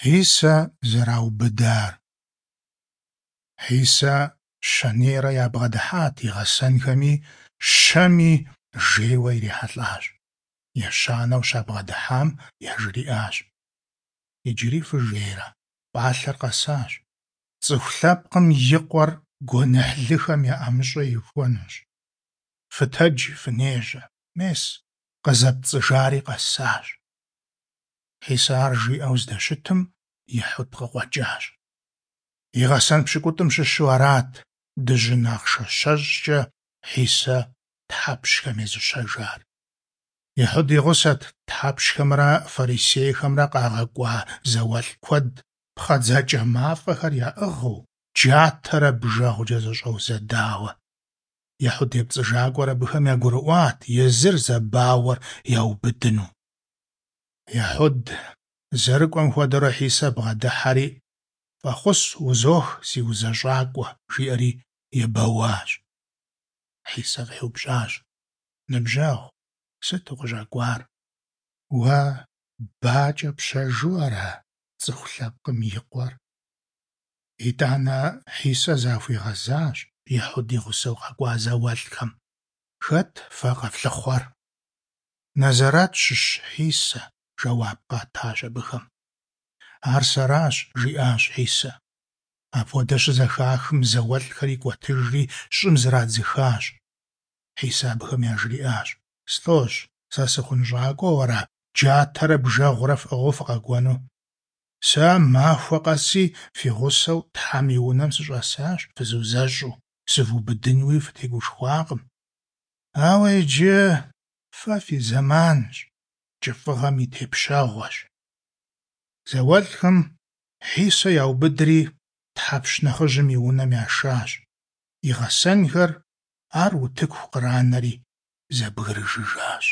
Хьисэ зэраубыдар. Хьисэ щэнейрэ ябгъэдыхьат и гъэсэнхэми, щэми жейуэ ирихьэлӀащ. Ещанэу щабгъэдыхьам яжриӀащ: Иджыри фыжейрэ? ПӀалъэр къэсащ. ЦӀыху Лъэпкъым и Къуэр гуэныхьлыхэм я ӀэмыщӀэ ихуэнущ. Фытэджи, фынежьэ! Мес, къызэпцӀыжари къэсащ. Хьисэ ар жиӀэу здэщытым, Ехьуд къыкъуэкӀащ. И гъэсэн пщыкӀутӀым щыщу арат дыжьын ахъшэ щэщӀкӀэ Хьисэ тхьэпщхэм езыщэжар. Ехьуд и гъусэт тхьэпщхэмрэ фарисейхэмрэ къагъэкӀуа зауэлӀ куэд, пхъэдзакӀэ мафӀэхэр яӀыгъыу, джатэрэ бжэгъукӀэ зэщӀэузэдауэ. Ехьуд епцӀыжакӀуэр абыхэм ягурыӀуат езыр зэбауэр яубыдыну. Ехьуд зэрыкӀуэм хуэдэурэ Хьисэ бгъэдыхьэри: ФӀэхъус узох, си узэщӀакӀуэ, жиӀэри ебэуащ. Хьисэ къеупщӀащ: Ныбжьэгъу, сыт укъыщӀэкӀуар? Уэ бакӀэ пщэжу ара цӀыху лъэпкъым и Къуэр? ИтӀанэ Хьисэ захуигъэзащ Ехьуд и гъусэу къэкӀуа зауэлӀхэм: Хэт фэ къэфлъыхъуэр? Нэзэрэт щыщ Хьисэ, жэуап къатащ абыхэм. Ар сэращ, жиӀащ Хьисэ. Апхуэдэ щызэхахым, зауэлӀхэр икӀуэтыжри щӀым зрадзыхащ. Хьисэ абыхэм яжриӀащ: СлӀожь, сэ сыхъунщӀакӀуэу ара джатэрэ бжэгъурэ фӀыгъыу фыкъэкӀуэну? Сэ махуэ къэси фи гъусэу Тхьэм и унэм сыщӀэсащ фызузэщӀу, сывубыдынуи фытегушхуакъым. Ауэ иджы фэ фи зэманщ, кӀыфӀыгъэм и тепщэгъуэщ. ЗауэлӀхэм Хьисэ яубыдри, тхьэпщ нэхъыжьым и унэм яшащ. И гъэсэнхэр ар утыку къранэри зэбгрыжыжащ.